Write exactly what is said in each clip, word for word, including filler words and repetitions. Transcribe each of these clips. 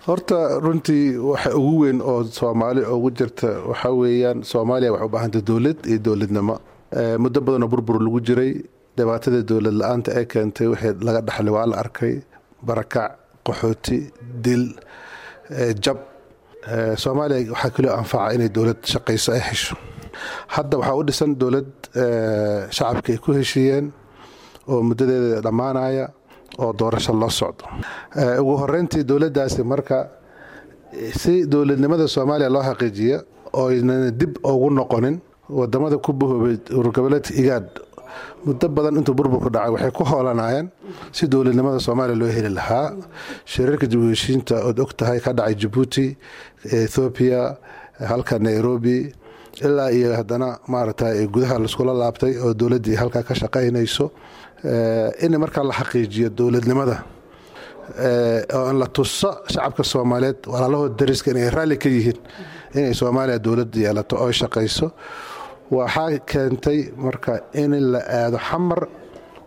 Horta runtii waxa ugu weyn oo Soomaali ugu jirta waxaa weeyaan, Soomaaliya waxay u baahantay dowlad iyo dowladnimo. Muddo badanoo burbur lagu jiray, dhibaatada dowlad la-aanta ee keentay wixii laga dhaxlay waa la arkay: barakac, qaxooti, dil, jab. Soomaaliya waxaa kaloo anfaca inay dowlad shaqayso ay hesho. Hadda waxaa u dhisan dowlad shacabka ay ku heshiiyeen oo muddadeeda dhammaanaya oo doorasho loo socdo. Ugu horeyntii dowladdaasi marka si dowladnimada Soomaaliya loo xaqiijiya oo aynan dib ugu noqonin, wadamada ku bahoobay ururgoboleedka IGAAD muddo badan intuu burburku dhacay waxay ku hoolanayeen si dowladnimada Soomaaliya loo heli lahaa. Shirarka dib u heshiinta ood og tahay ka dhacay Jabuuti, Ethoobiya, halka Nairobi, ilaa iyo haddana maaragtay gudaha laiskula laabtay oo dowladdii halkaa ka shaqaynayso, in markaa la xaqiijiyo dowladnimada oo in la tuso shacabka Soomaaliyeed, walaalahood dariska, inay raalli ka yihiin inay Soomaaliya dowlad yeelato oo shaqayso. Waxaa keentay marka in la aado Xamar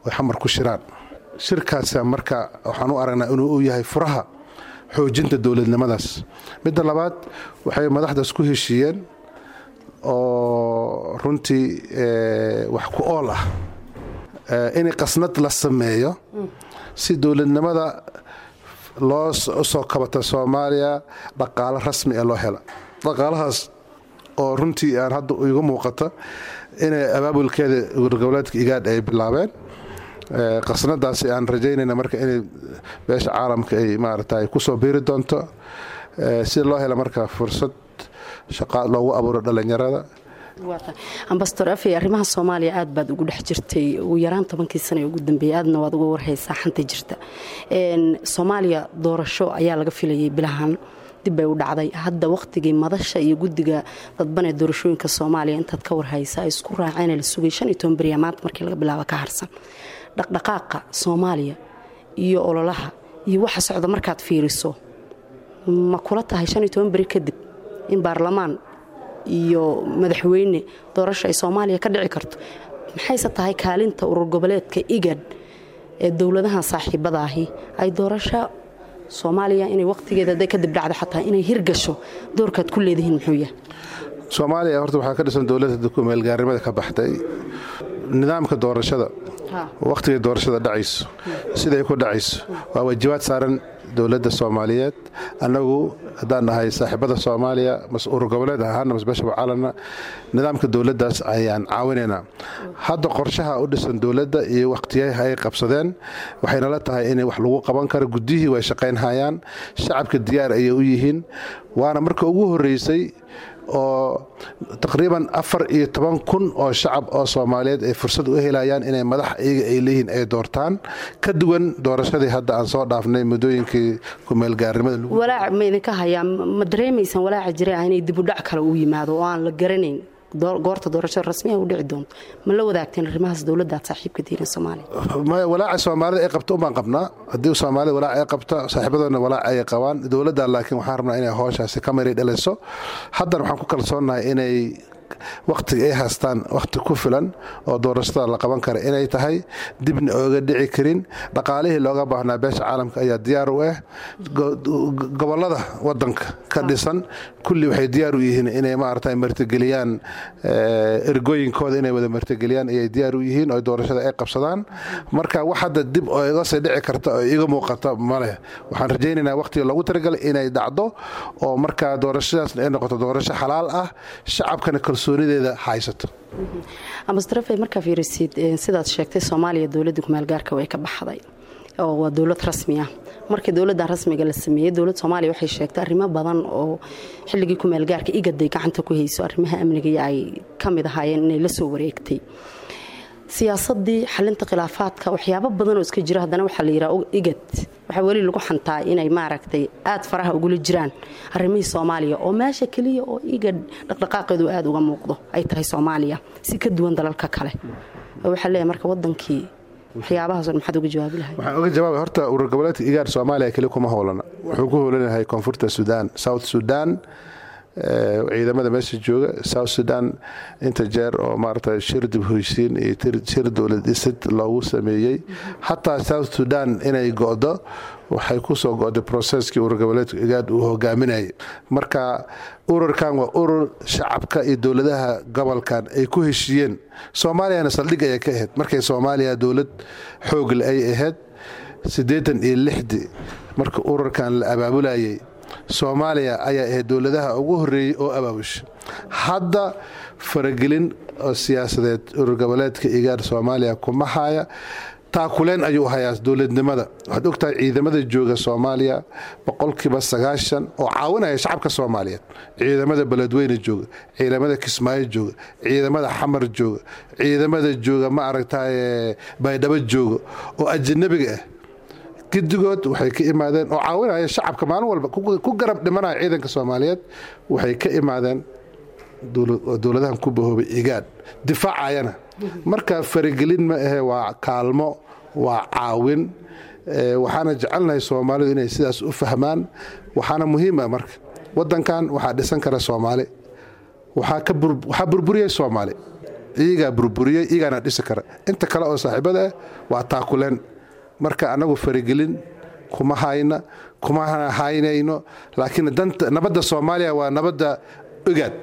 oy Xamar ku shiraan. Shirkaasa marka waxaan u aragnaa inuu u yahay furaha xoojinta dowladnimadaas. Midda labaad, waxay madaxdaas ku heshiiyeen oo runtii wax ku ool ah in qasnad la sameeyo si dowladnimada loo soo kabata Soomaaliya, dhaqaalo rasmi ee loo hela. Dhaqaalahaas oo runtii aan hadda iga muuqata inay abaabulkeeda urgoboleedka IGAAD ay bilaabeen. Qasnadaasi aan rajaynayna marka inay beesha caalamka ay maaragta kusoo biiri doonto si loo helo marka fursad shaqa loogu abuuro dhallinyarada. Ambasador Afey, arrimaha Soomaaliya aad baad ugu dhex jirtay ugu yaraan tobankii sana ee ugu dambeeyay, aadna waad uga warhaysaa xanta jirta Soomaaliya. Doorasho ayaa laga filayay bilahan, dib bay u dhacday. Hadda wakhtigii madasha iyo guddiga dadban ee doorashooyinka Soomaaliya, intaad ka warhaysa, ay isku raaceen la sugay shan iyo toban beriya maanta markii laga bilaabo ka harsan. Dhaqdhaqaaqa Soomaaliya iyo ololaha iyo waxa socda markaad fiiriso, ma kula tahay shan iyo toban beri kadib in baarlamaan iyo madaxweyne doorasho ay Soomaaliya ka dhici karto? Maxayse tahay kaalinta urur goboleedka IGAD ee dowladahan saaxiibada ahi ay doorasho Soomaaliya inay waqtigeeda haday kadib dhacdo xataa inay hirgasho doorkaad ku leedihiin muxuu yahay? Soomaaliya horta waxaa ka dhisan dowladda kumeelgaarnimada ka baxday. Nidaamka doorashada, wakhtiga doorashada dhacayso, siday ku dhacayso, waa waajibaad saaran dowladda Soomaaliyeed. Annagu haddaan nahay saaxiibada Soomaaliya, mas urur goboleed ahaana, mas beesha caalamna, nidaamka dowladdaas ayaan caawinaynaa. Hadda qorshaha u dhisan dowladda iyo wakhtiyaha ay qabsadeen waxaynala tahay in wax lagu qaban karo. Guddihii way shaqaynhayaan, shacabka diyaar ayay u yihiin, waana marka ugu horreysay oo taqriiban afar iyo toban kun oo shacab oo Soomaaliyeed ay fursad u helayaan inay madax iyaga ay leeyihiin ay doortaan, ka duwan doorashadii hadda aan soo dhaafnay muddooyinkii kumeelgaarnimada. Walaac ma idinka hayaa? Ma dareemaysaan walaaca jira ah inay dib u dhac kale uu yimaado oo aan la garanayn goorta doorashada rasmiga u dhici doonto? Ma la wadaagteen arrimahaas dowladda aad saaxiibka tihiin Soomaaliya? Walaaca Soomaalida ay qabto umbaan qabnaa. Haddii Soomaalida walaac ay qabta, saaxiibadoodna walaac ay qabaan dowladda, laakiin waxaan rabnaa inay howshaasi ka mari dhaliso. Haddana waxaan ku kalsoonnahay inay wakhtiga ay haystaan wakhti ku filan oo doorashada la qaban kara inay tahay, dibna ooga dhici karin. Dhaqaalihii looga baahnaa beesha caalamka ayaa diyaar u ah. Gobollada wadanka ka dhisan kulli waxay diyaar u yihiin inay maaragtay martigeliyaan ergooyinkooda, inay wada martigeliyaan ayay diyaar u yihiin oo doorashada ay qabsadaan. Marka wax hadda dib oo iga sii dhici karta oo iga muuqata maleh. Waxaan rajaynaynaa wakhtiga loogu talagalay inay dhacdo oo markaa doorashadaasna ay noqoto doorasho xalaal ah, shacabkana kalsoonideeda haysato. Ambasador Afey, markaa fiirisid, sidaad sheegtay, Soomaaliya dowladda kumaalgaarka way ka baxday oo waa dowlad rasmi ah. Markii dowladdan rasmiga la sameeyey, dowladda Soomaaliya waxay sheegtay arrimo badan oo xilligii kumaalgaarka igaday gacanta ku hayso, arrimaha amniga ay ka mid ahaayeen, inay la soo wareegtay siyaasadii xalinta khilaafaadka, waxyaabo badan oo iska jira. Haddana waxaa la yidhaha IGAD waxaa weli lagu xantaa inay maaragtay aad faraha ugula jiraan arrimihii Soomaaliya, oo meesha keliya oo IGAD dhaqdhaqaaqeedu aada uga muuqdo ay tahay Soomaaliya, si ka duwan dalalka kale. Waxaa leeyahay marka wadankii waxyaabahaas maxaad uga jawaabi lahay? Waxaan uga jawaabay, horta urur goboleedka IGAAD Soomaaliya keli kuma howlana. Wuxuu ku howlanahay Koonfurta Suudaan, South Sudan. Ciidamada meesha jooga South Sudan inta jeer oo maarata shir dib hoysiin iyo shir dowlad dhisid loogu sameeyey, xataa South Sudan inay go'do waxay ku soo go'day processkii urur goboleedka IGAAD uu hogaaminayay. Marka ururkan waa urur shacabka iyo dowladaha gobolkan ay ku heshiiyeen. Soomaaliyana saldhig ayay ka ahayd markay Soomaaliya dowlad xoogle ay ahayd siddeetan iyo lixdii marka ururkan la abaabulayay. Soomaaliya ayaa ahayd dowladaha ugu horreeyey oo abaabusha. Hadda faragelin oo siyaasadeed urur goboleedka IGAAD Soomaaliya kuma haya. Taakuleen ayuu hayaa dowladnimada. Waxaad ogtahay ciidamada jooga Soomaaliya boqolkiiba sagaashan oo caawinaya shacabka Soomaaliyeed, ciidamada Beledweyne jooga, ciidamada Kismaayo jooga, ciidamada Xamar jooga, ciidamada jooga, ma aragtaye, Baydhabo jooga oo ajanabiga ah, gidigood waxay ka imaadeen oo caawinaya shacabka, maalin walba ku garab dhimanaya ciidanka Soomaaliyeed, waxay ka imaadeen dowladahan ku bahoobay IGAAD, difaacayana. Marka faragelin ma ahe, waa kaalmo, waa caawin. Waxaana jecelnahay Soomaalidu inay sidaas u fahmaan. Waxaana muhiim ah marka wadankan waxaa dhisan kara Soomaali. Waxaa burburiyey Soomaali, iyagaa burburiyey, iyagaana dhisi kara. Inta kale oo saaxiibada ah waa taakuleen. Marka annagu faragelin kuma hayna, kuma haynayno, laakiin danta nabadda Soomaaliya waa nabadda IGAAD.